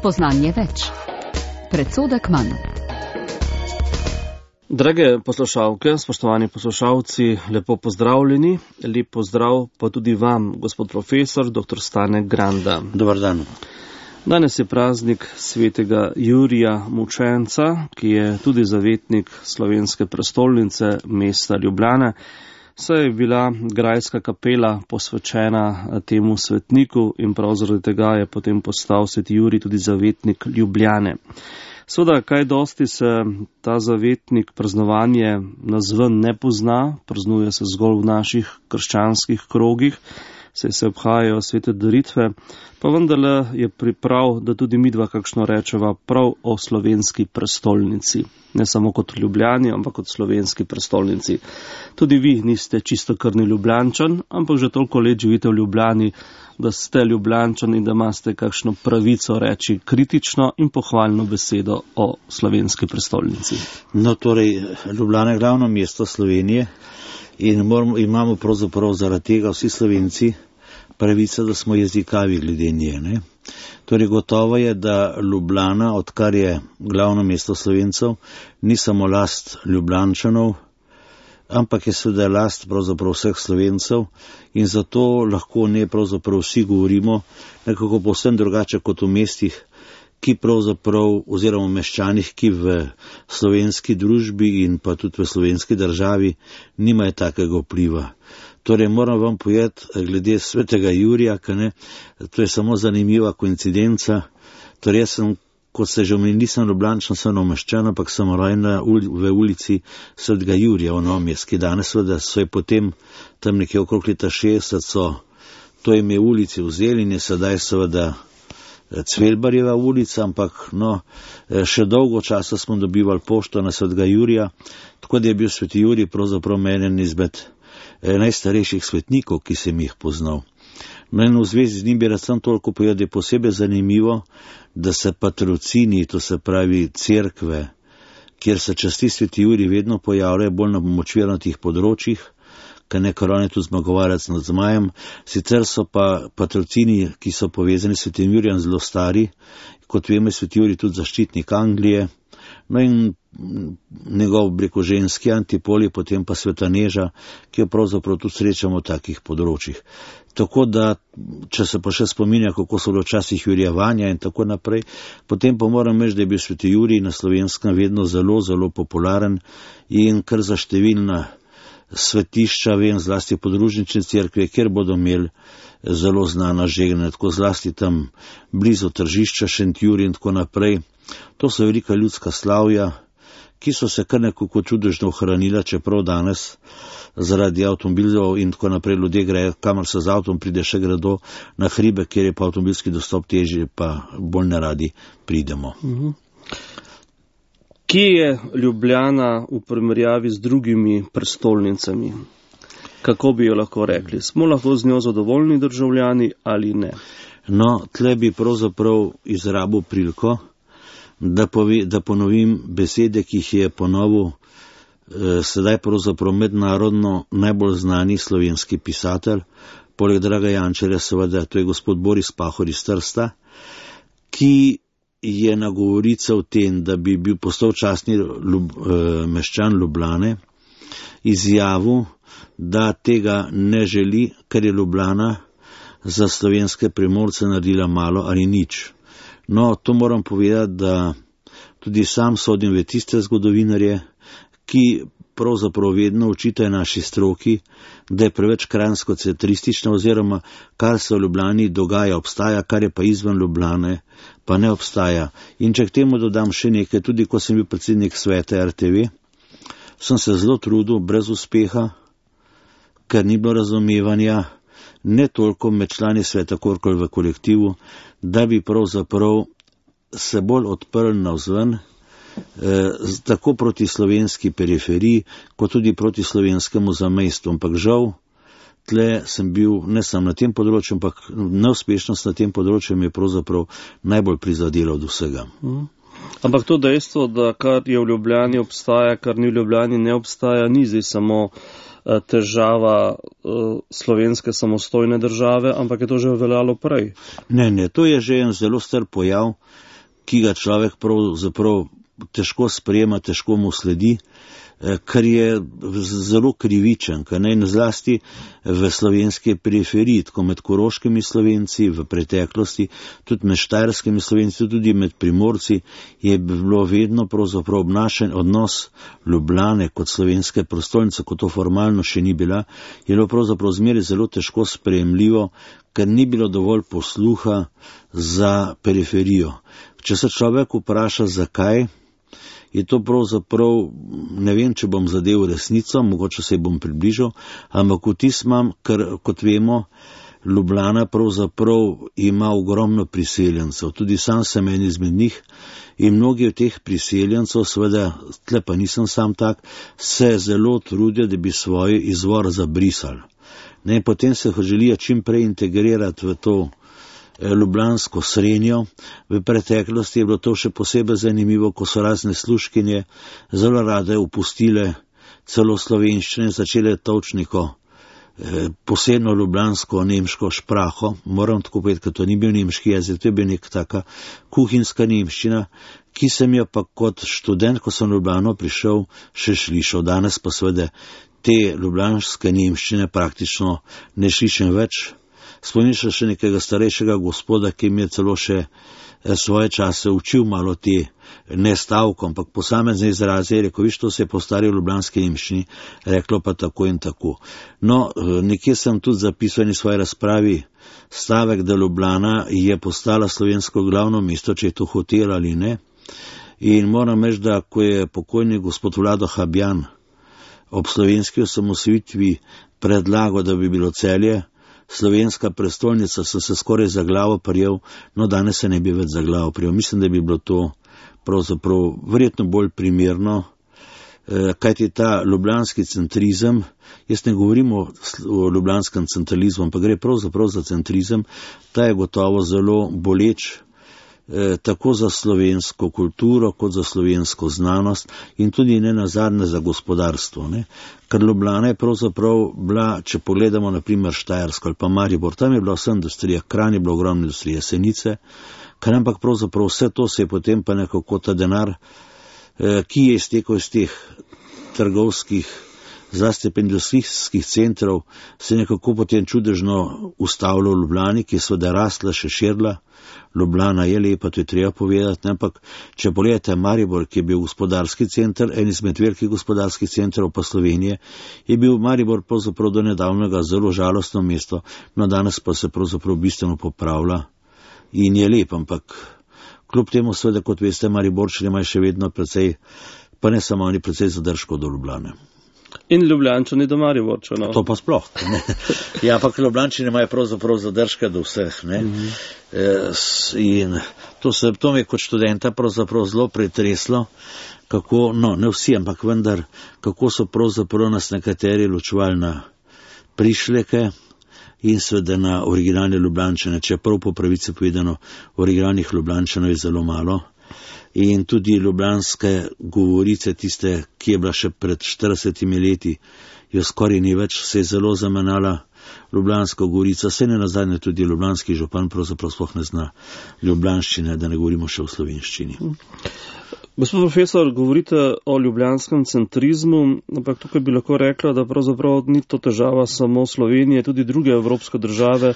Spoznanje več. Predsodek manj. Drage poslušalke, spoštovani poslušalci, lepo pozdravljeni. Lep pozdrav pa tudi vam, gospod profesor, dr. Stane Granda. Dobar dan. Danes je praznik svetega Jurija Mučenca, ki je tudi zavetnik slovenske prestolnice, mesta Ljubljane. Saj je bila grajska kapela posvečena temu svetniku in prav zaradi tega je potem postal sveti Jurij tudi zavetnik Ljubljane. Seveda, kaj dosti se ta zavetnik praznovanje nazven ne pozna, praznuje se zgolj v naših krščanskih krogih, saj se obhajajo svete daritve, pa vendarle je priprav, da tudi midva kakšno rečeva prav o slovenski prestolnici. Ne samo kot Ljubljani, ampak kot slovenski prestolnici. Tudi vi niste čistokrvni Ljubljančan, ampak že toliko let živite v Ljubljani, da ste Ljubljančan in da imate kakšno pravico reči kritično in pohvalno besedo o slovenski prestolnici. No, torej, Ljubljana je glavno mesto Slovenije in imamo pravzaprav zaradi tega vsi Slovenci pravico, da smo jezikavi glede nje. Ne? Torej, gotovo je, da Ljubljana, odkar je glavno mesto Slovencev, ni samo last Ljubljančanov, ampak je seveda last pravzaprav vseh Slovencev in zato lahko ne pravzaprav vsi govorimo nekako povsem drugače kot v mestih, ki pravzaprav, oziroma meščanih, ki v slovenski družbi in pa tudi v slovenski državi nimajo takega vpliva. Torej, moram vam povedati, glede svetega Jurija, to je samo zanimiva koincidenca. Torej, jaz sem, kot ste že omenili, nisem Ljubljančan, sem omeščan, ampak sem rojen v ulici svetega Jurija v Novem mestu, ki danes seveda so je potem tam nekje okrog leta 60 so to ime ulici vzeli in je sedaj seveda Cvelbarjeva ulica, ampak še dolgo časa smo dobivali pošto na svetega Jurija, tako da je bil sveti Jurij pravzaprav eden izmed najstarejših svetnikov, ki sem jih poznal. No in v zvezi z njim bi rad sem toliko povedal, da je posebej zanimivo, da se patrocini, to se pravi cerkve, kjer se časti sveti Jurij, vedno pojavljajo bolj na močvirnatih področjih, ker on je tu zmagovalec nad zmajem. Sicer so pa patrocini, ki so povezani s svetim Jurijem, zelo stari, kot vemo, je sveti Jurij tudi zaščitnik Anglije, no in njegov ženski antipol je potem pa sveta Neža, ki jo pravzaprav tudi srečamo v takih področjih. Tako da, če se pa še spominja, kako so bilo včasih jurjevanja in tako naprej, potem pa moram reči, da je bil sveti Jurij na Slovenskem vedno zelo, zelo popularen in kar za številna svetišča, vem, zlasti podružnične cerkve, kjer bodo imeli zelo znana žegnanja, tako zlasti tam blizu tržišča Šentjurij in tako naprej. To so velika ljudska slavja, ki so se kar nekako čudežno ohranila, čeprav danes zaradi avtomobilov in tako naprej ljudje grejo, kamor se z avtom pride, še gredo na hribe, kjer je pa avtomobilski dostop težji, pa bolj neradi pridemo. Kje je Ljubljana v primerjavi z drugimi prestolnicami? Kako bi jo lahko rekli? Smo lahko z njo zadovoljni državljani ali ne? No, tle bi pravzaprav izrabil priliko, da ponovim besede, ki jih je ponovil sedaj pravzaprav mednarodno najbolj znani slovenski pisatelj, poleg Draga Jančarja seveda, to je gospod Boris Pahor iz Trsta, ki je na govorico o tem, da bi bil postal častni meščan Ljubljane, izjavil, da tega ne želi, ker je Ljubljana za slovenske Primorce naredila malo ali nič. No, to moram povedati, da tudi sam sodim v tiste zgodovinarje, ki pravzaprav vedno očitajo naši stroki, da je preveč kranjsko-centristična oziroma kar se v Ljubljani dogaja, obstaja, kar je pa izven Ljubljane, pa ne obstaja. In če k temu dodam še nekaj, tudi ko sem bil predsednik sveta RTV, sem se zelo trudil, brez uspeha, ker ni bilo razumevanja, ne toliko med člani sveta, kolikor v kolektivu, da bi pravzaprav se bolj odprli navzven, tako proti slovenski periferiji, kot tudi proti slovenskemu zamejstvu. Ampak žal, tle sem bil ne samo na tem področju, ampak neuspešnost na tem področju mi je pravzaprav najbolj prizadela od vsega. Ampak to dejstvo, da kar je v Ljubljani obstaja, kar ni v Ljubljani ne obstaja, ni zdaj samo težava slovenske samostojne države, ampak je to že veljalo prej. Ne, to je že en zelo star pojav. ki ga človek pravzaprav težko sprejema, težko mu sledi, kar je zelo krivičen, kar ne zlasti v slovenski periferiji, tako med koroškimi Slovenci v preteklosti, tudi med štajerskimi Slovenci, tudi med Primorci, je bilo vedno pravzaprav obnašen odnos Ljubljane kot slovenske prestolnice, kot to formalno še ni bila, je bilo pravzaprav zmeraj zelo težko sprejemljivo, ker ni bilo dovolj posluha za periferijo. Če se človek vpraša, zakaj, je to pravzaprav, ne vem, če bom zadev resnico, mogoče se bom približal, ampak vtis imam, ker, kot vemo, Ljubljana pravzaprav ima ogromno priseljencev, tudi sam sem en izmed njih in mnogi od teh priseljencev, seveda, tle pa nisem sam tak, se zelo trudijo, da bi svoj izvor zabrisali. Ne, potem se želijo čim prej integrirati v to ljubljansko srenjo. V preteklosti je bilo to še posebej zanimivo, ko so razne služkinje zelo rade opustile celo slovenščine, začele točniko posebno ljubljansko nemško špraho, moram tako povedati, ker to ni bil nemški jezik, to je bil neka taka kuhinjska nemščina, ki sem jo pa kot študent, ko sem v Ljubljano prišel, še slišal. Danes pa seveda te ljubljanske nemščine praktično ne slišim več. Spomnim se še nekega starejšega gospoda, ki mi je celo še svoje čase učil malo te ne stavkom, ampak posamezne izraze, je rekel, viš, to se je po stari ljubljanski nemščini reklo pa tako in tako. No, nekje sem tudi zapisal v svoji razpravi stavek, da Ljubljana je postala slovensko glavno mesto, če je to hotel ali ne. In moram reči, da ko je pokojni gospod Vlado Habjan ob slovenski osamosvojitvi predlagal, da bi bilo Celje slovenska prestolnica, sem se skoraj za glavo prijel, no danes se ne bi več za glavo prijel. Mislim, da bi bilo to pravzaprav verjetno bolj primerno, kajti ta ljubljanski centrizem, jaz ne govorim o ljubljanskem centralizmu, ampak gre pravzaprav za centrizem, ta je gotovo zelo boleč, tako za slovensko kulturo, kot za slovensko znanost in tudi ne nazadnje za gospodarstvo. Ne? Ker Ljubljana je pravzaprav bila, če pogledamo na primer Štajersko ali pa Maribor, tam je bila vsa industrija, Kranj je bila ogromna industrija, Senice, kar ampak pravzaprav vse to se je potem pa nekako ta denar, ki je iztekel iz teh trgovskih, zlasti pa industrijskih centrov, se je nekako potem čudežno ustavljal v Ljubljani, ki je seveda rasla, še širila. Ljubljana je lepa, to je treba povedati, ampak če pogledate Maribor, ki je bil gospodarski center, en izmed velikih gospodarskih centrov pa Slovenije, je bil Maribor pravzaprav do nedavnega zelo žalostno mesto, no danes pa se pravzaprav bistveno popravlja in je lep, ampak kljub temu seveda, kot veste, Mariborčani imajo še vedno precej, pa ne samo oni, precej zadržkov do Ljubljane. In Ljubljančani do Mariborčanov. To pa sploh. Ne. Ja, ampak Ljubljančani imajo pravzaprav zadržke do vseh. Ne. In to me kot študenta pravzaprav zelo pretreslo, kako, no ne vsi, ampak vendar, kako so pravzaprav nas nekateri ločevali na prišleke in seveda na originalne Ljubljančane, čeprav po pravici povedano originalnih Ljubljančanov je zelo malo. In tudi ljubljanske govorice, tiste, ki je bila še pred 40 leti, jo skoraj ni več, se je zelo zamenjala ljubljanska govorica, se ne nazadnje tudi ljubljanski župan pravzaprav sploh ne zna ljubljanščine, da ne govorimo še o slovenščini. Gospod profesor, govorite o ljubljanskem centrizmu, ampak tukaj bi lahko rekla, da pravzaprav ni to težava samo Slovenije, tudi druge evropske države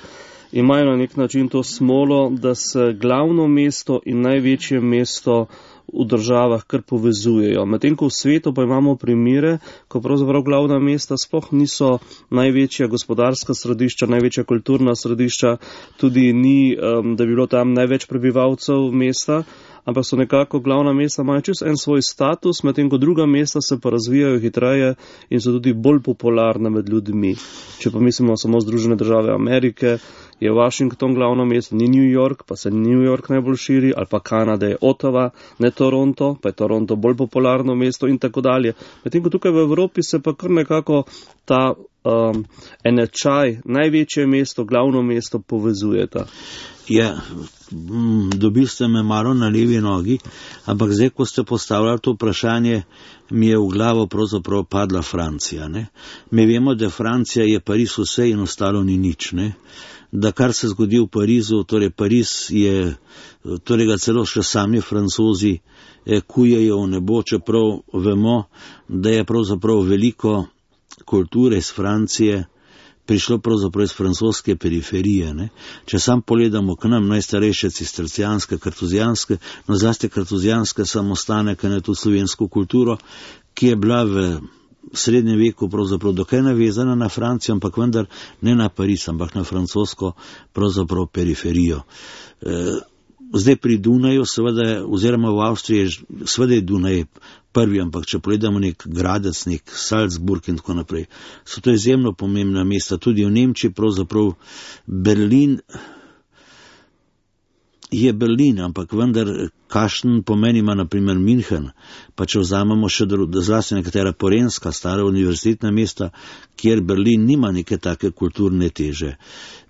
imajo na nek način to smolo, da se glavno mesto in največje mesto v državah kar povezujejo. Medtem ko v svetu pa imamo primere, ko pravzaprav glavna mesta sploh niso največja gospodarska središča, največja kulturna središča, tudi ni, da bi bilo tam največ prebivalcev mesta, ampak so nekako glavna mesta imajo čisto en svoj status, medtem ko druga mesta se pa razvijajo hitreje in so tudi bolj popularne med ljudmi. Če pa mislimo samo Združene države Amerike, je Washington glavno mesto, ni New York, pa se New York najbolj širi, ali pa Kanada je Ottawa, ne Toronto, pa je Toronto bolj popularno mesto in tako dalje. Medtem ko tukaj v Evropi se pa kar nekako ta enačaj, največje mesto, glavno mesto povezujeta. Ja, dobil ste me malo na levi nogi, ampak zdaj, ko ste postavljali to vprašanje, mi je v glavo pravzaprav padla Francija. Ne? Mi vemo, da Francija je Pariz vse in ostalo ni nič. Ne? da kar se zgodi v Parizu, torej Pariz je, torej ga celo še sami Francozi kujejo v nebo, čeprav vemo, da je pravzaprav veliko kulture iz Francije prišlo pravzaprav iz francoske periferije. Ne? Če sam pogledamo k nam, najstarejše cistercijanske, kartuzijanske, no zlasti kartuzijanske samostanek, ne tudi slovensko kulturo, ki je bila v srednjem veku pravzaprav dokaj navezana na Francijo, ampak vendar ne na Pariz, ampak na francosko pravzaprav periferijo. Zdaj pri Dunaju, seveda, oziroma v Avstriji, seveda je Dunaj prvi, ampak če pogledamo nek Gradec, nek Salzburg in tako naprej, so to izjemno pomembna mesta. Tudi v Nemčiji pravzaprav Berlin je Berlin, ampak vendar kakšen pomen ima na primer München, pa če vzamemo še zlasti nekatera porenska, stara univerzitetna mesta, kjer Berlin nima neke take kulturne teže.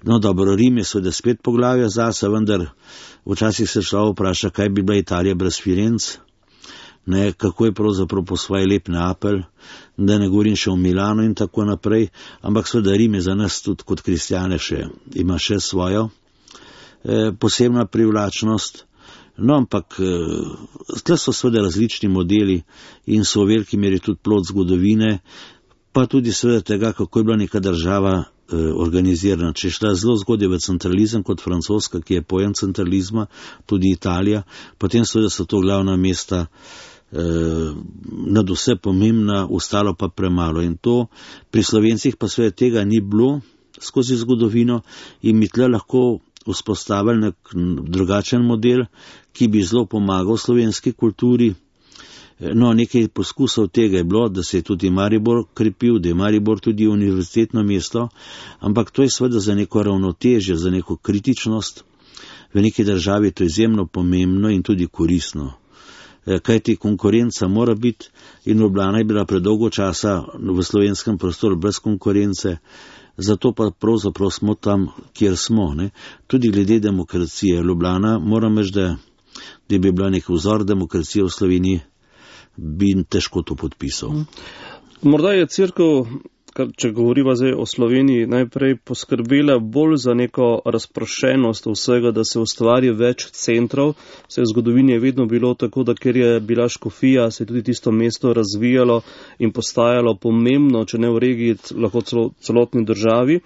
No dobro, Rim je seveda spet poglavje zase, vendar včasih se človek vpraša, kaj bi bila Italija brez Firenc, ne, kako je pravzaprav po svoje lep Neapelj, da ne govorim še o Milano in tako naprej, ampak seveda Rim je za nas tudi kot kristjane ima še svojo posebna privlačnost. No, ampak tle so seveda različni modeli in so v veliki meri tudi plod zgodovine, pa tudi seveda tega, kako je bila neka država organizirana. Če je šla zelo zgodaj v centralizem kot Francoska, ki je pojem centralizma, tudi Italija, potem seveda so to glavna mesta nad vse pomembna, ostalo pa premalo. In to pri Slovencih pa seveda tega ni bilo skozi zgodovino in mi tle lahko vzpostavili nek drugačen model, ki bi zelo pomagal slovenski kulturi. No, nekaj poskusov tega je bilo, da se je tudi Maribor krepil, da je Maribor tudi univerzitetno mesto, ampak to je seveda za neko ravnotežje, za neko kritičnost. V neki državi je to izjemno pomembno in tudi koristno. Kajti konkurenca mora biti in Ljubljana je bila predolgo časa v slovenskem prostoru brez konkurence, zato pa pravzaprav smo tam, kjer smo. Ne? Tudi glede demokracije. Ljubljana, moram reči, da bi bila nek vzor demokracije v Sloveniji, bi težko to podpisal. Morda je cerkev, če govoriva zdaj o Sloveniji, najprej poskrbela bolj za neko razprošenost vsega, da se ustvari več centrov. Vse v zgodovini je vedno bilo tako, da ker je bila škofija, se je tudi tisto mesto razvijalo in postajalo pomembno, če ne v regiji, lahko celotni državi.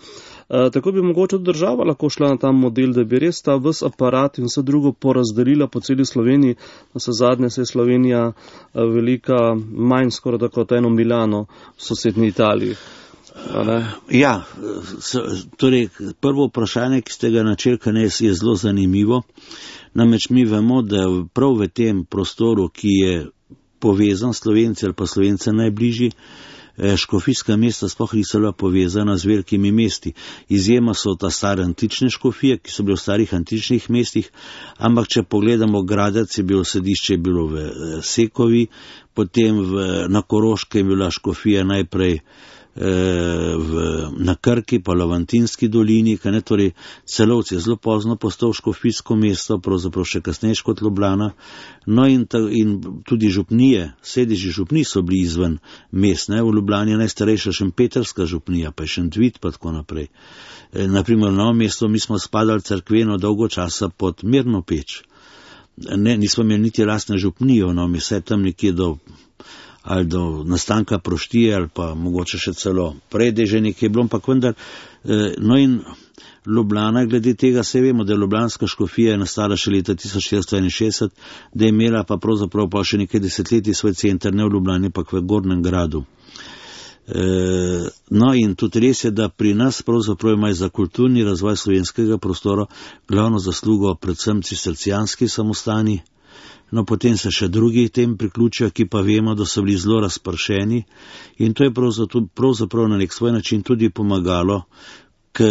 Tako bi mogoče tudi država lahko šla na ta model, da bi res ta ves aparat in vse drugo porazdelila po celi Sloveniji. Na vse zadnje se je Slovenija velika manj skoraj tako kot eno Milano v sosednji Italiji. Ja, torej prvo vprašanje, ki ste ga načeli, je zelo zanimivo. Namreč mi vemo, da prav v tem prostoru, ki je povezan Slovenci ali pa Slovence najbližji, škofijska mesta sploh niso bila povezana z velikimi mesti. Izjema so ta stare antične škofije, ki so bile v starih antičnih mestih, ampak če pogledamo, Gradec je bilo središče, je bilo v Sekovi, potem na Koroškem je bila škofija najprej na Krki, pa Lavantinski dolini, torej Celovec je zelo pozno postal škofijsko mesto, pravzaprav še kasneje kot Ljubljana. No in tudi župnije, sedeži župnij so bili izven mest, ne? V Ljubljani je najstarejša šempetrska župnija, pa je Šentvid, pa tako naprej. Naprimer, Novo mesto, mi smo spadali cerkveno dolgo časa pod Mirno Peč. Nismo imeli niti lastne župnije, no, mi se tam nekje do nastanka Proštije ali pa mogoče še celo prej, da je že nekaj bilo, ampak vendar, no in Ljubljana, glede tega se vemo, da je ljubljanska škofija nastala še leta 1461, da je imela pa pravzaprav pa še nekaj desetletij svoj center, ne v Ljubljani, pa v Gornjem gradu. No in tudi res je, da pri nas pravzaprav imajo za kulturni razvoj slovenskega prostora glavno zaslugo predvsem cistercijanski samostani. No, potem se še drugi tem priključijo, ki pa vemo, da so bili zelo razpršeni in to je pravzaprav na nek svoj način tudi pomagalo k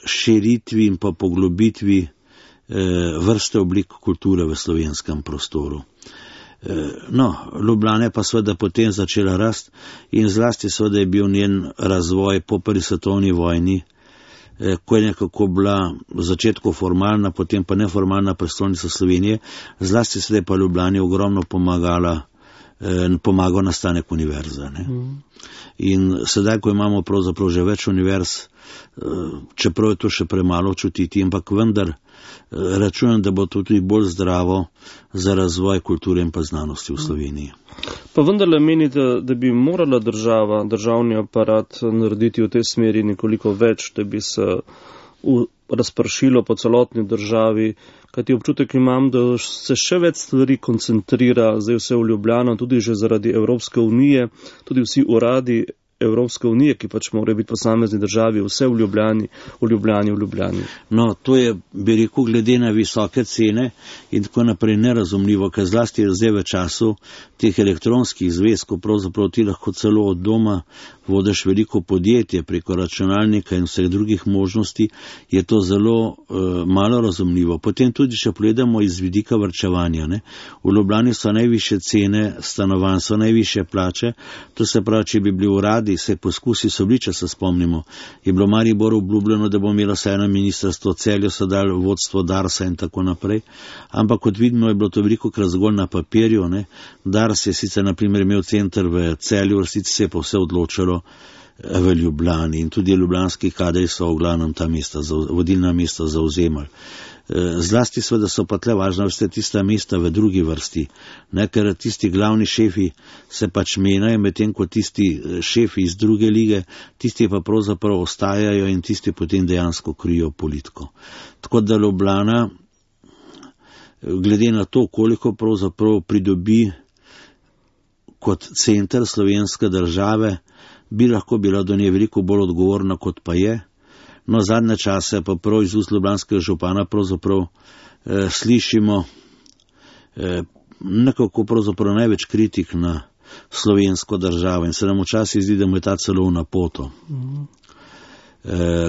širitvi in pa poglobitvi vrste oblik kulture v slovenskem prostoru. No, Ljubljana je pa seveda potem začela rast in zlasti seveda je bil njen razvoj po prvi svetovni vojni, ko je nekako bila v začetku formalna, potem pa neformalna prestolnica Slovenije, zlasti sedaj pa Ljubljani ogromno pomagala pomagal nastanek univerze. Ne. In sedaj, ko imamo pravzaprav že več univerz, čeprav je to še premalo čutiti, ampak vendar računam, da bo to tudi bolj zdravo za razvoj kulture in pa znanosti v Sloveniji. Pa vendarle menite, da bi morala država, državni aparat narediti v tej smeri nekoliko več, da bi se razpršilo po celotni državi, kajti občutek imam, da se še več stvari koncentrira, zdaj vse v Ljubljano, tudi že zaradi Evropske unije, tudi vsi uradi Evropske unije, ki pač morajo biti posamezni državi, vse v Ljubljani. No, to je, bi rekel, glede na visoke cene in tako naprej nerazumljivo, ker zlasti je zdaj v času teh elektronskih zvezkov, pravzaprav ti lahko celo od doma vodiš veliko podjetje preko računalnika in vseh drugih možnosti, je to zelo malo razumljivo. Potem tudi, če pogledamo iz vidika varčevanja, ne? V Ljubljani so najvišje cene stanovanj, so najvišje plače, to se pravi, če bi bili uradi, se poskusi so bili, če se spomnimo, je bilo Mariboru obljubljeno, da bo imelo vsaj eno ministrstvo, Celju so dali vodstvo Darsa in tako naprej, ampak kot vidimo je bilo to velikokrat zgolj na papirju, ne? Dars je sicer na primer imel center v Celju, resnici se je pa vse odločilo v Ljubljani in tudi ljubljanski kadri so v glavnem ta mesta, vodilna mesta zauzemali. Zlasti seveda so pa tle važna veste tista mesta v drugi vrsti, ne, ker tisti glavni šefi se pač menjajo, medtem ko tisti šefi iz druge lige, tisti pa pravzaprav ostajajo in tisti potem dejansko krijo politiko. Tako da Ljubljana, glede na to, koliko pravzaprav pridobi kot center slovenske države, bi lahko bila do nje veliko bolj odgovorna, kot pa je. No, zadnje čase pa prav iz ust ljubljanskega župana pravzaprav slišimo nekako pravzaprav največ kritik na slovensko državo in se nam včasih zdi, da mu je ta celo v napoto.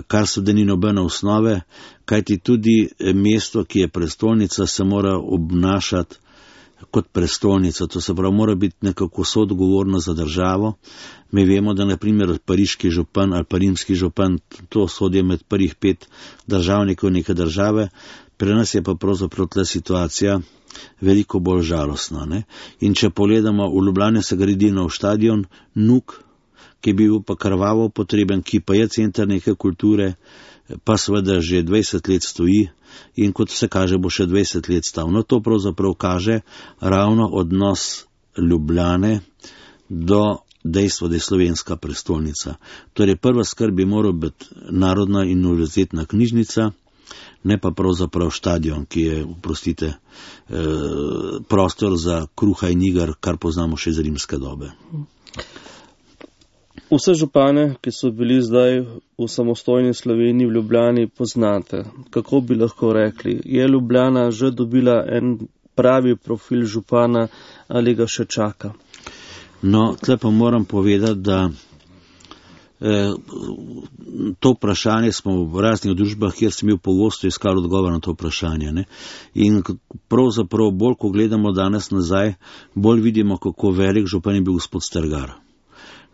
Kar so da ni nobene osnove, kajti tudi mesto, ki je prestolnica, se mora obnašati kot prestolnica, to se pravi, mora biti nekako soodgovorno za državo. Mi vemo, da na primer pariški župan ali pa rimski župan, to sodijo med prvih 5 državnikov neke države, pri nas je pa pravzaprav ta situacija veliko bolj žalostna. Ne? In če pogledamo, v Ljubljani se gradi nov štadion, NUK, ki bi bil pa krvavo potreben, ki pa je center neke kulture, pa seveda že 20 let stoji in kot se kaže, bo še 20 let stal. No, to pravzaprav kaže ravno odnos Ljubljane do dejstva, da je slovenska prestolnica. Torej, prva skrb bi moral biti narodna in univerzitetna knjižnica, ne pa pravzaprav štadion, ki je, oprostite, prostor za kruha in iger, kar poznamo še iz rimske dobe. Vse župane, ki so bili zdaj v samostojni Sloveniji v Ljubljani, poznate. Kako bi lahko rekli? Je Ljubljana že dobila en pravi profil župana ali ga še čaka? No, tle pa moram povedati, da to vprašanje smo v raznih družbah, kjer sem bil pogosto iskal odgovor na to vprašanje. Ne? In pravzaprav bolj, ko gledamo danes nazaj, bolj vidimo, kako velik župan je bil gospod Strgar.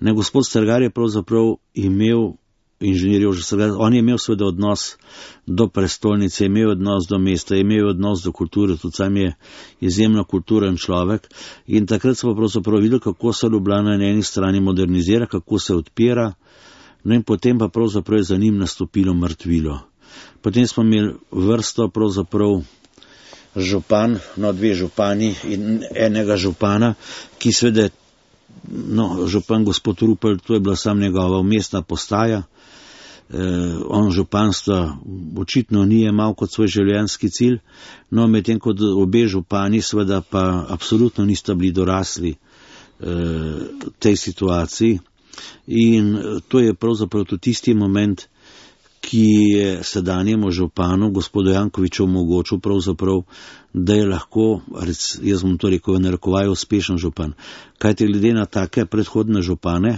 Ne, gospod Strgar je pravzaprav imel, inženir Jože Strgar, on je imel seveda odnos do prestolnice, imel odnos do mesta, imel odnos do kulture, tudi sam je izjemno kulturen človek in takrat smo pravzaprav videli, kako se Ljubljana na eni strani modernizira, kako se odpira, no in potem pa pravzaprav je za njim nastopilo mrtvilo. Potem smo imeli vrsto pravzaprav župan, no 2 župani in enega župana, ki seveda, no, župan gospod Rupel, to je bila sam njegova mestna postaja, on županstva očitno ni imel kot svoj življenjski cilj, no medtem kot obe župani seveda pa absolutno nista bili dorasli tej situaciji in to je pravzaprav tudi tisti moment, ki je sedanjemu županu, gospodu Jankoviću, omogočil pravzaprav, da je lahko, jaz bom to rekel, narekovaj uspešen župan. Kajti glede na take predhodne župane,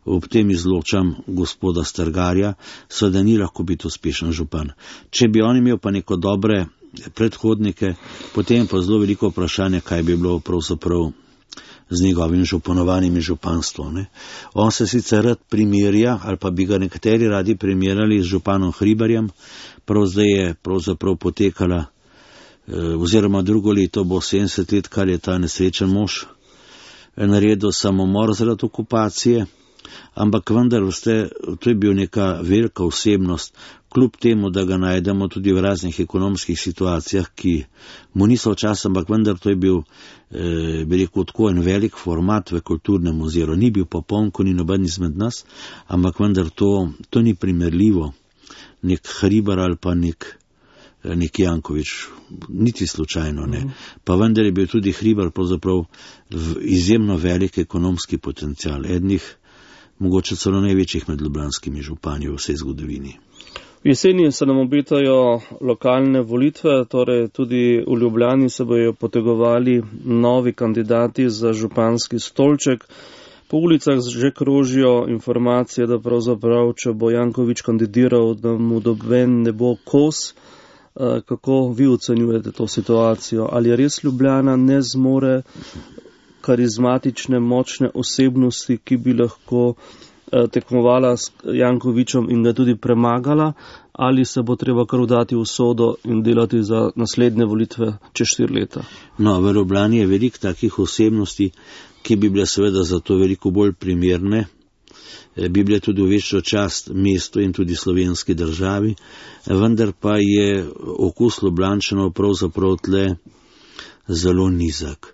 ob tem izločam gospoda Strgarja, seveda ni lahko biti uspešen župan. Če bi on imel pa neko dobre predhodnike, potem pa zelo veliko vprašanje, kaj bi bilo pravzaprav z njegovim županovanjem in županstvom. Ne. On se sicer rad primerja, ali pa bi ga nekateri radi primerjali z županom Hribarjem, prav zdaj je pravzaprav potekala, oziroma drugo leto bo 70 let, kar je ta nesrečen mož naredil samomor zaradi okupacije, ampak vendar to je bil neka velika osebnost, kljub temu, da ga najdemo tudi v raznih ekonomskih situacijah, ki mu niso včasih, ampak vendar to je bil, bi rekel, tako en velik format v kulturnem oziru. Ni bil popoln, ko ni noben izmed nas, ampak vendar to ni primerljivo. Nek Hribar ali pa nek Janković, niti slučajno ne. Pa vendar je bil tudi Hribar pravzaprav izjemno velik ekonomski potencial, ednih, mogoče celo največjih med ljubljanskimi župani v vsej zgodovini. V jeseni se nam obetajo lokalne volitve, torej tudi v Ljubljani se bojo potegovali novi kandidati za županski stolček. Po ulicah že krožijo informacije, da pravzaprav, če bo Janković kandidiral, da mu noben ne bo kos. Kako vi ocenjujete to situacijo? Ali res Ljubljana ne zmore karizmatične, močne osebnosti, ki bi lahko tekmovala s Jankovićem in ga tudi premagala, ali se bo treba kar vdati v sodo in delati za naslednje volitve čez 4 leta? No, v Ljubljani je veliko takih osebnosti, ki bi bile seveda za to veliko bolj primerne, bi bile tudi v večjo čast mestu in tudi slovenski državi, vendar pa je okus Ljubljančanov pravzaprav tle zelo nizak.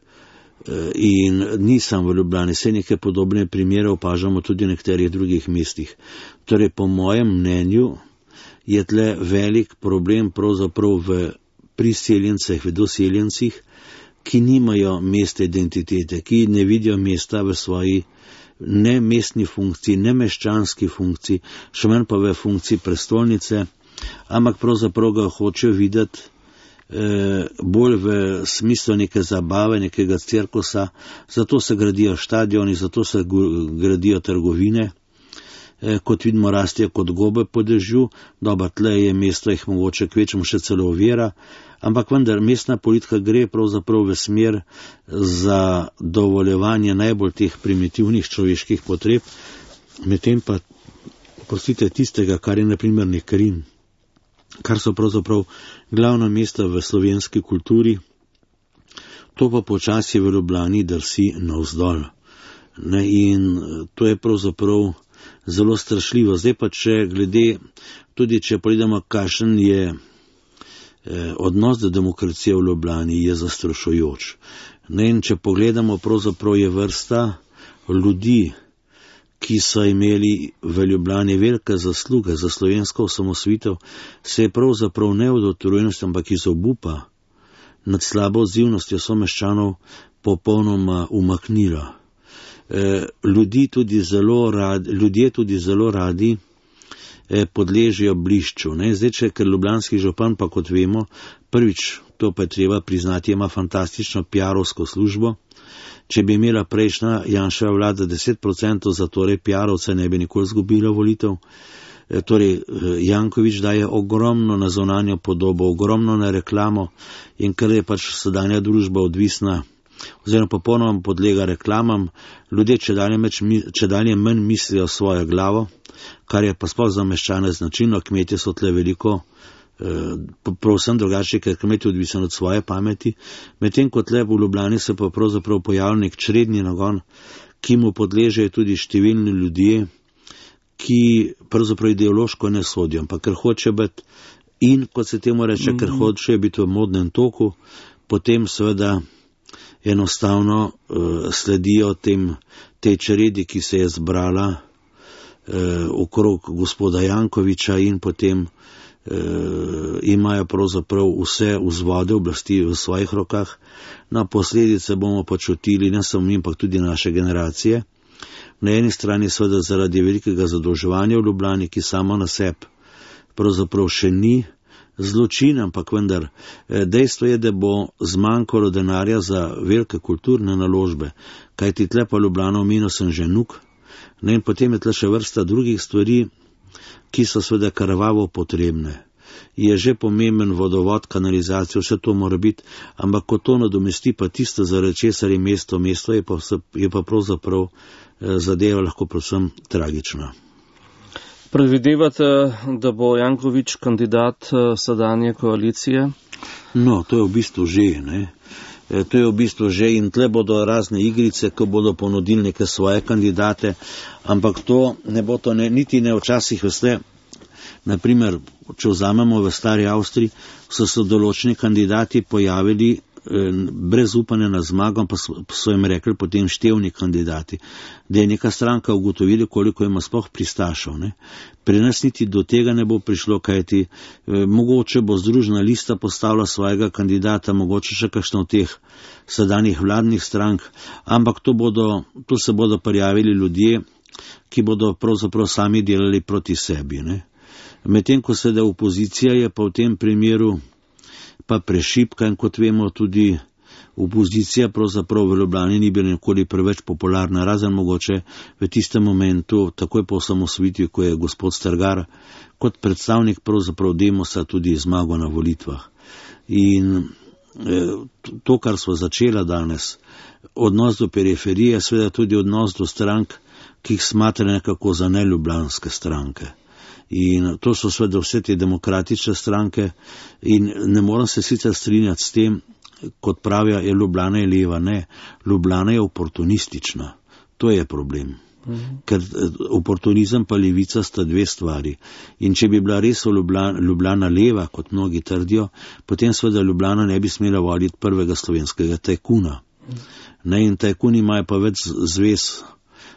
In nisem v Ljubljani, vse neke podobne primere opažamo tudi v nekaterih drugih mestih. Torej, po mojem mnenju je tle velik problem pravzaprav v priseljencih, v doseljencih, ki nimajo mesta identitete, ki ne vidijo mesta v svoji ne mestni funkciji, ne meščanski funkciji, še manj pa v funkciji prestolnice, ampak pravzaprav ga hočejo videti bolj v smislu neke zabave, nekega cirkusa, zato se gradijo štadioni, zato se gradijo trgovine, kot vidimo rastejo kot gobe po dežju, dobro, tle je mesto jih mogoče kvečemo še celo ovira, ampak vendar mestna politika gre pravzaprav v smer za dovoljevanje najbolj teh primitivnih človeških potreb, medtem pa, prostite, tistega, kar je na primer nek Rim, kar so pravzaprav glavna mesta v slovenski kulturi, to pa počasi v Ljubljani drsi navzdol. In to je pravzaprav zelo strašljivo. Zdaj pa, tudi če pogledamo, kakšen je odnos do demokracije v Ljubljani, je zastrašujoč. In če pogledamo, pravzaprav je vrsta ljudi, ki so imeli v Ljubljani velike zasluge za slovensko osamosvojitev, se je pravzaprav ne od utrujenosti, ampak iz obupa nad slabo odzivnostjo someščanov popolnoma umaknila. Ljudje tudi zelo radi podležejo blišču. Zdaj, ker ljubljanski župan, pa kot vemo, prvič, to pa je treba priznati, ima fantastično PR-ovsko službo. Če bi imela prejšnja Janševa vlada 10% za torej PR-ovce, ne bi nikoli izgubila volitev. Torej, Janković daje ogromno na zunanjo podobo, ogromno na reklamo, in ker je pač sedanja družba odvisna, oziroma popolnoma podlega reklamam, ljudje čedalje manj mislijo svojo glavo, kar je pa sploh za meščane značilno. Kmetje so tle veliko pravsem drugače, ker kmet je odvisen od svoje pameti, medtem kot le v Ljubljani se pa pravzaprav pojavil nek čredni nagon, ki mu podležejo tudi številni ljudje, ki pravzaprav ideološko ne sodijo, ampak ker hoče biti in, kot se temu reče, ker hoče biti v modnem toku, potem seveda enostavno sledijo tej čredi, ki se je zbrala okrog gospoda Jankovića, in potem imajo pravzaprav vse vzvode oblasti v svojih rokah. Na posledice bomo počutili ne samo mi, ampak tudi naše generacije. Na eni strani seveda zaradi velikega zadolževanja v Ljubljani, ki samo na sebi pravzaprav še ni zločin, ampak vendar dejstvo je, da bo zmanjkalo denarja za velike kulturne naložbe, kajti tle pa Ljubljana omenil sem že Nuk, in potem je tle še vrsta drugih stvari, ki so seveda krvavo potrebne. Je že pomemben vodovod, kanalizacijo, vse to mora biti, ampak ko to nadomesti pa tisto, zaradi česar je mesto je pa pravzaprav zadeva lahko predvsem tragična. Predvidevate, da bo Janković kandidat sedanje koalicije? No, to je v bistvu že, To je v bistvu že in tle bodo razne igrice, ko bodo ponudili neke svoje kandidate, ampak to ne bo to niti ne včasih veste. Naprimer, če vzamemo v stari Avstriji, so se določeni kandidati pojavili brez upanja na zmago, pa so jim rekli potem števni kandidati, da je neka stranka ugotovila, koliko ima sploh pristašev. Ne? Pri nas niti do tega ne bo prišlo, kajti mogoče bo Združena lista postavila svojega kandidata, mogoče še kakšno od teh sedanjih vladnih strank, ampak to se bodo prijavili ljudje, ki bodo pravzaprav sami delali proti sebi. Ne? Medtem ko seveda opozicija je pa v tem primeru pa prešipka in kot vemo tudi opozicija pravzaprav v Ljubljani ni bila nikoli preveč popularna, razen mogoče v tistem momentu, takoj po osamosvojitvi, ko je gospod Strgar kot predstavnik pravzaprav Demosa tudi zmagal na volitvah. In to, kar smo začela danes, odnos do periferije, seveda tudi odnos do strank, ki jih smatra nekako za neljubljanske stranke. In to so seveda vse te demokratične stranke in ne moram se sicer strinjati s tem, kot pravijo, Ljubljana je leva. Ne, Ljubljana je oportunistična. To je problem. Ker oportunizem pa levica sta dve stvari. In če bi bila res Ljubljana leva, kot mnogi trdijo, potem seveda Ljubljana ne bi smela voliti prvega slovenskega tajkuna. Ne, in tajkuni imajo pa več zvez,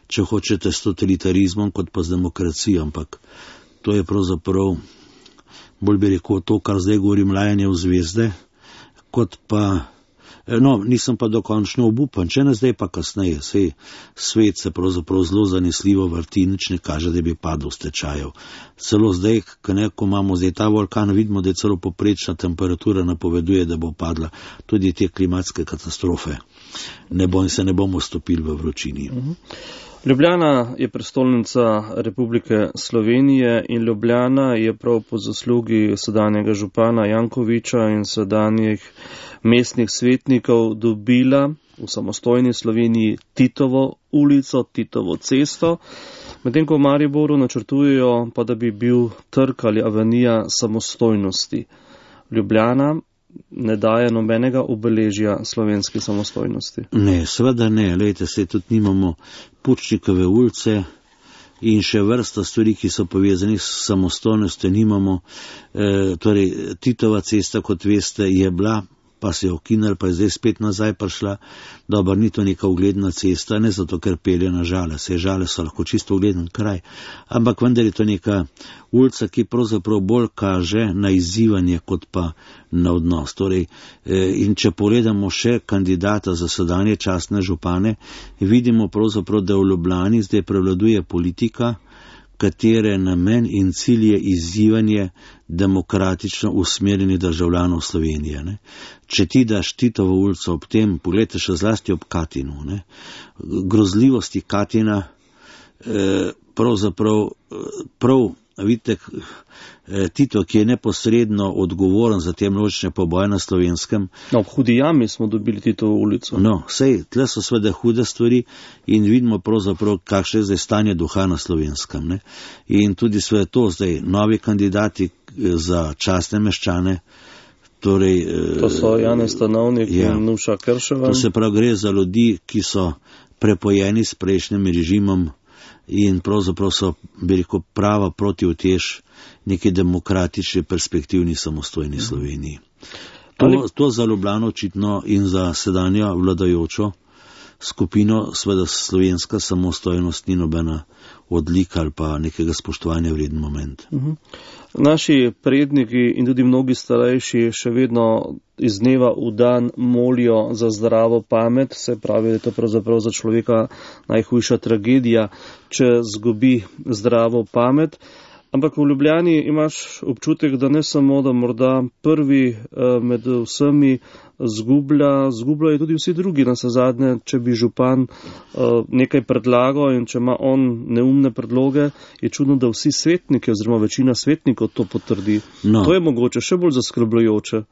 če hočete, s totalitarizmom, kot pa z demokracijo, ampak to je pravzaprav, bolj bi rekel, to, kar zdaj govorim, lajanje v zvezde, kot pa, nisem pa dokončno obupan, če ne zdaj pa kasneje, sej svet se pravzaprav zelo zanesljivo vrti, nič ne kaže, da bi padel v stečajev. Celo zdaj, ko imamo zdaj ta vulkan, vidimo, da je celo poprečna temperatura napoveduje, da bo padla tudi te klimatske katastrofe. Se ne bomo stopili v vročini. Ljubljana je prestolnica Republike Slovenije in Ljubljana je prav po zaslugi sedanjega župana Jankovića in sedanjih mestnih svetnikov dobila v samostojni Sloveniji Titovo ulico, Titovo cesto, medtem ko v Mariboru načrtujejo pa, da bi bil trg ali avenija samostojnosti. Ljubljana ne daje nobenega obeležja slovenski samostojnosti. Ne, seveda ne. Lejte, se tudi nimamo Pučnikove ulice in še vrsta stvari, ki so povezani s samostojnostjo nimamo. Torej, Titova cesta, kot veste, je bila, pa se je ukinila, pa je zdaj spet nazaj prišla. Dobro, ni to neka ugledna cesta, ne zato, ker pelje na Žale. Se Žale so lahko čisto ugleden kraj. Ampak vendar je to neka ulica, ki pravzaprav bolj kaže na izzivanje, kot pa na odnos. Torej, in če pogledamo še kandidata za sedanje častne župane, vidimo pravzaprav, da v Ljubljani zdaj prevladuje politika, katere namen in cilj je izzivanje demokratično usmerjenih državljanov Slovenije. Ne. Če ti daš Titovo ulico ob tem, pogledajte še zlasti ob Katinu, ne. Grozljivosti Katina, pravzaprav vidite, Tito, ki je neposredno odgovoren za te množične poboje na Slovenskem. V Hudi jami smo dobili Titovo ulico. Sej, tle so seveda hude stvari in vidimo pravzaprav, kakšno je zdaj stanje duha na Slovenskem. Ne? In tudi sve to zdaj, novi kandidati za častne meščane, torej... To so Janez Stanovnik in Nuša Krševa. To se prav gre za ljudi, ki so prepojeni s prejšnjim režimom in pravzaprav so, bi rekel, prava protiutež neki demokratični, perspektivni, samostojni Sloveniji. To za Ljubljano očitno in za sedanjo vladajočo skupino, seveda slovenska samostojnost ni nobena odlika ali pa nekega spoštovanja vreden moment. Naši predniki in tudi mnogi starejši še vedno iz dneva v dan molijo za zdravo pamet, se pravi, da je to pravzaprav za človeka najhujša tragedija, če zgubi zdravo pamet. Ampak v Ljubljani imaš občutek, da ne samo, da morda prvi med vsemi zgubljajo tudi vsi drugi. Navsezadnje, če bi župan nekaj predlagal in če ima on neumne predloge, je čudno, da vsi svetniki oziroma večina svetnikov to potrdi. To je mogoče še bolj zaskrbljujoče.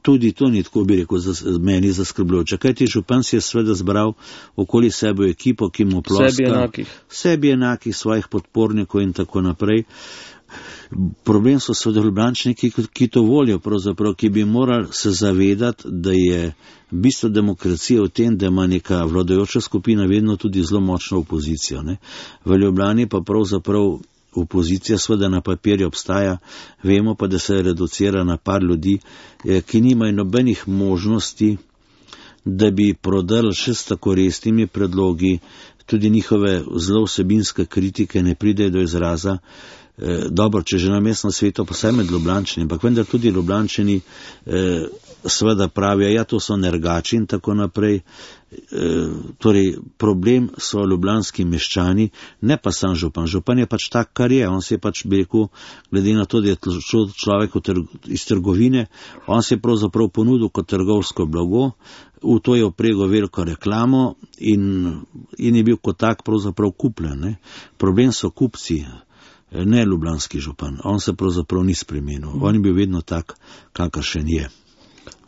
Tudi to ni tako, bi rekel, meni zaskrbljujoče. Kajti župan si je seveda zbral okoli sebe ekipo, ki mu ploska. Sebi enakih svojih podpornikov in tako naprej. Problem so seveda Ljubljančani, ki to volijo pravzaprav, ki bi morali se zavedati, da je bistvo demokracije v tem, da ima neka vladajoča skupina vedno tudi zelo močno opozicijo. Ne. V Ljubljani pa pravzaprav opozicija seveda na papirju obstaja, vemo pa, da se reducira na par ljudi, ki nimajo nobenih možnosti, da bi prodali še s tako resnimi predlogi, tudi njihove zelo vsebinske kritike ne pridejo do izraza. Dobro, če že na mestnem svetu, pa saj med Ljubljančani, ampak vendar tudi Ljubljančani seveda pravijo, ja, to so nergači in tako naprej. Torej, problem so ljubljanski meščani, ne pa sam župan. Župan je pač tak, kar je. On se je pač, bi rekel, glede na to, da je človek iz trgovine, on se je pravzaprav ponudil kot trgovsko blago, v to je oprego veliko reklamo in je bil kot tak pravzaprav kupljen. Ne. Problem so kupci, ne ljubljanski župan. On se pravzaprav ni spremenil. On je bil vedno tak, kakršen je.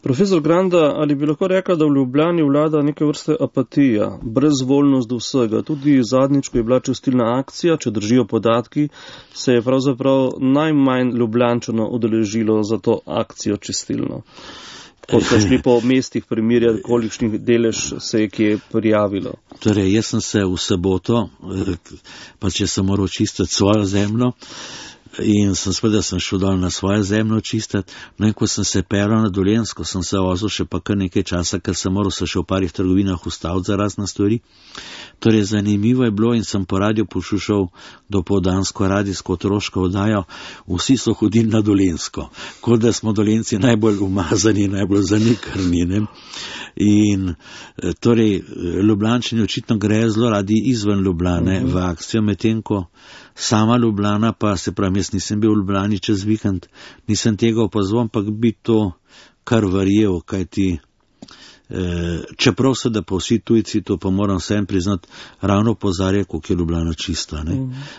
Profesor Granda, ali bi lahko rekla, da v Ljubljani vlada neke vrste apatija, brezvoljnost do vsega? Tudi zadnjič, ko je bila čistilna akcija, če držijo podatki, se je pravzaprav najmanj Ljubljančano udeležilo za to akcijo čistilno. Ko so šli po mestih primerjati, kolikšnih delež se je kje prijavilo. Torej, jaz sem se v soboto, pa če sem moral čistiti svojo zemljo, in sem šel dol na svojo zemljo čistiti, no in ko sem se peral na Dolenjsko, sem se vozil še pa kar nekaj časa, ker sem moral se še v parih trgovinah ustaviti za razne stvari. Torej, zanimivo je bilo in sem po radiju poslušal dopoldansko radijsko otroško oddajo, vsi so hodili na Dolenjsko, kot da smo Dolenjci najbolj umazani, najbolj zanikrni, ne. In torej, Ljubljančani očitno grejo zelo radi izven Ljubljane v akcijo, medtem ko sama Ljubljana, pa se pravi, jaz nisem bil v Ljubljani čez vikend, nisem tega opazoval, ampak bi to kar verjel, kajti čeprav se da pa vsi tujci, to pa moram vsem priznati, ravno opozarja, koliko je Ljubljana čista. Ne?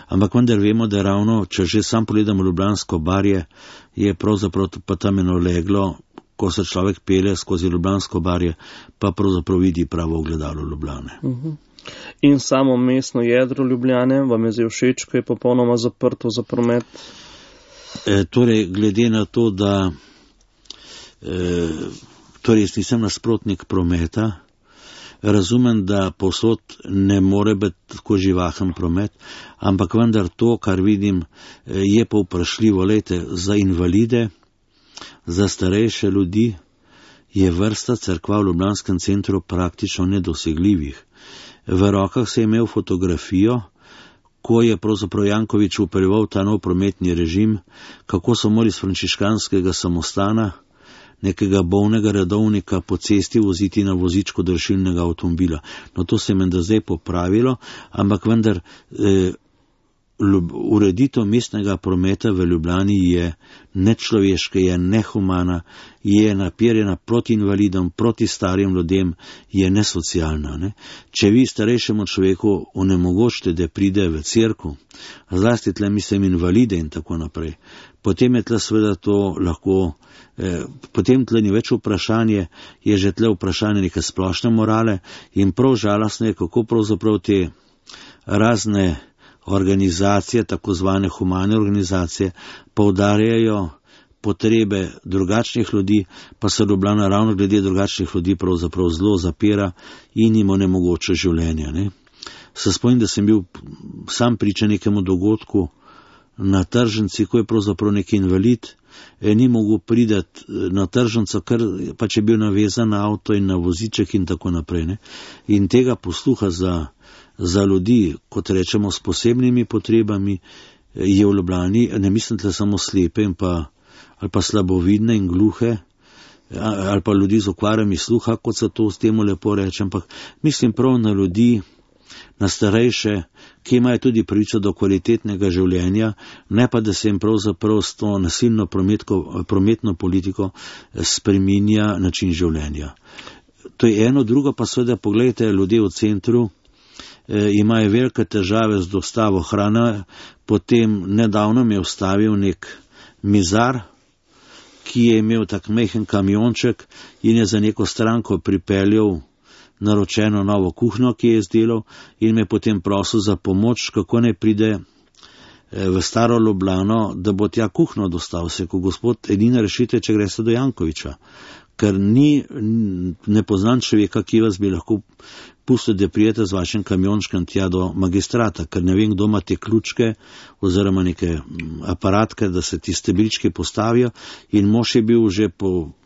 Ampak vendar vemo, da ravno, če že sam pogledamo Ljubljansko barje, je pravzaprav pa tam eno leglo, ko se človek pelje skozi Ljubljansko barje, pa pravzaprav vidi pravo ogledalo Ljubljane. In samo mestno jedro Ljubljane vam je zdaj všeč, ko je popolnoma zaprto za promet? Torej, glede na to, da torej jaz nisem nasprotnik prometa, razumem, da povsod ne more biti tako živahen promet, ampak vendar to, kar vidim, je pa vprašljivo. Lejte, za invalide, za starejše ljudi je vrsta cerkva v Ljubljanskem centru praktično nedosegljivih. V rokah se je imel fotografijo, ko je pravzaprav Janković upeljeval ta nov prometni režim, kako so morali iz frančiškanskega samostana nekega bolnega redovnika po cesti voziti na vozičku do rešilnega avtomobila. No, to se je menda zdaj popravilo, ampak vendar ureditev mestnega prometa v Ljubljani je nečloveška, je nehumana, je napirjena proti invalidom, proti starim ljudem, je nesocialna. Ne? Če vi starejšemu človeku onemogočite, da pride v cerkev, zlasti tle mislim invalide in tako naprej, potem je tle seveda to lahko, potem tle ni več vprašanje, je že tle vprašanje neke splošne morale in prav žalostno je, kako pravzaprav te razne organizacije, tako zvane humane organizacije, poudarjajo potrebe drugačnih ljudi, pa se Ljubljana ravno glede drugačnih ljudi pravzaprav zelo zapira in jim onemogoča življenje. Ne? Se spomnim, da sem bil sam priča nekemu dogodku na tržnici, ko je pravzaprav neki invalid, ni mogel pridati na tržnico, ker pač je bil navezan na avto in na voziček in tako naprej. Ne? In tega posluha za ljudi, kot rečemo, s posebnimi potrebami, je v Ljubljani, ne mislim tle samo slepe ali pa slabovidne in gluhe, ali pa ljudi z okvarami sluha, kot se to s temu lepo reče, ampak mislim prav na ljudi, na starejše, ki imajo tudi pravico do kvalitetnega življenja, ne pa da se jim pravzaprav s to nasilno prometno politiko spreminja način življenja. To je eno, drugo pa seveda, pogledajte, ljudje v centru imajo velike težave z dostavo hrane, potem nedavno mi je vstavil nek mizar, ki je imel tak majhen kamionček in je za neko stranko pripeljal naročeno novo kuhnjo, ki je izdelal, in me potem prosil za pomoč, kako ne pride v staro Ljubljano, da bo tja kuhno dostal se, ko gospod, edina rešitev, če greste do Jankoviča, ker ne poznam človeka, ki vas bi lahko pustil, da prijete z vašim kamiončkem tja do magistrata, ker ne vem, kdo ima te ključke oziroma neke aparatke, da se ti stebrički postavijo, in mož je bil že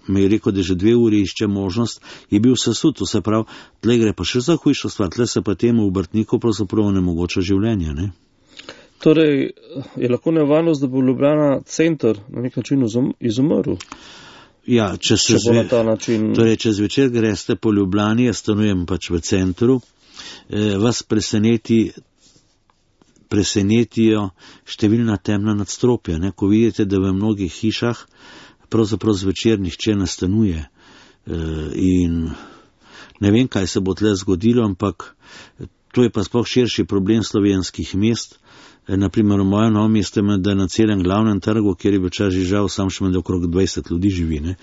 me je rekel, da že 2 uri išče možnost, je bil sesut, to se pravi, tle gre pa še za hujšo stvar, tle se pa temu obrtniku pravzaprav onemogoča življenje, ne? Torej, je lahko nevarnost, da bo Ljubljana center na nek način izumrl? Ja, če zvečer greste po Ljubljani, jaz stanujem pač v centru, vas presenetijo številna temna nadstropja, ne? Ko vidite, da v mnogih hišah pravzaprav zvečer nihče ne stanuje. In ne vem, kaj se bo tle zgodilo, ampak to je pa sploh širši problem slovenskih mest. Naprimer, v mojem novem mestu je, da na celem glavnem trgu, kjer je bil čas žal, sam še med okrog 20 ljudi živi. Ne?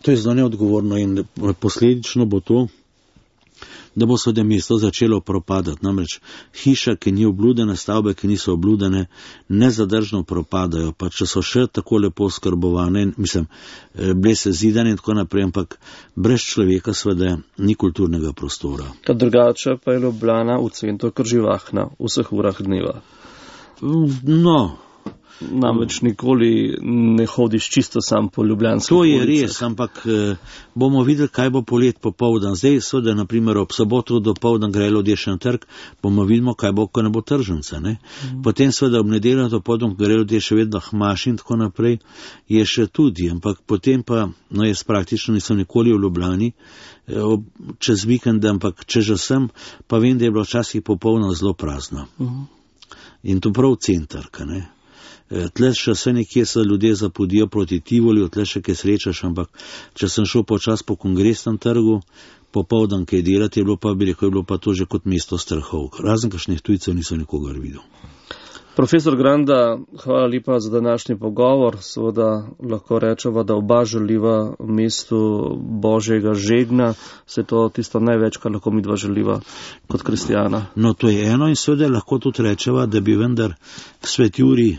To je zelo neodgovorno in posledično bo to, da bo seveda mesto začelo propadati. Namreč hiša, ki ni obludene, stavbe, ki niso obludene, nezadržno propadajo, pa če so še tako lepo skrbovane, bile se zidane in tako naprej, ampak brez človeka seveda ni kulturnega prostora. Kad drugače pa je Ljubljana v centru kar živahna, v vseh urah dneva. No, namreč nikoli ne hodiš čisto sam po ljubljanskih ulicah. To je res, ampak bomo videli, kaj bo polet popoldan. Zdaj, seveda, naprimer, ob soboto dopoldan gre ljudje še na trg, bomo vidimo, kaj bo, ko ne bo tržnice. Potem seveda ob nedeljo dopoldan gre ljudje še vedno hmaš in tako naprej, je še tudi, ampak potem pa, no jaz praktično nisem nikoli v Ljubljani, čez vikend, ampak če že sem, pa vem, da je bilo včasih popolno zelo prazno. In to prav centrka, ne. Tle še se nekje se ljudje zapodijo proti Tivoliju, tle še kaj srečaš, ampak če sem šel počas po Kongresnem trgu, popoldan kaj delati, je bilo pa to že kot mesto strahov. Razen kakšnih tujcev niso nikogar videl. Profesor Granda, hvala lepa za današnji pogovor. Seveda lahko rečemo, da oba želiva mestu Božjega žegna. Se to tisto največ, kar lahko midva želiva kot kristijana. No, to je eno in seveda lahko tudi rečeva, da bi vendar svet Jurij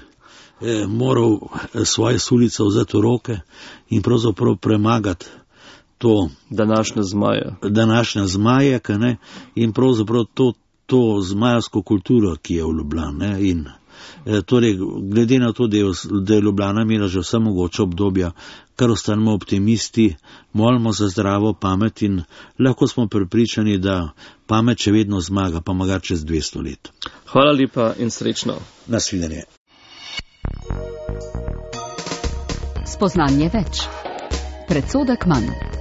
moral svoje sulice vzeti v roke in pravzaprav premagati to današnje zmaje, in pravzaprav to zmajevsko kulturo, ki je v Ljubljani. In torej, glede na to, da je Ljubljana imela že vse mogoče obdobja, kar ostanemo optimisti, molimo za zdravo pamet in lahko smo prepričani, da pamet še vedno zmaga, pa magar čez 200 let. Hvala lepa in srečno. Nasvidenje. Spoznanje več. Predsodek manj.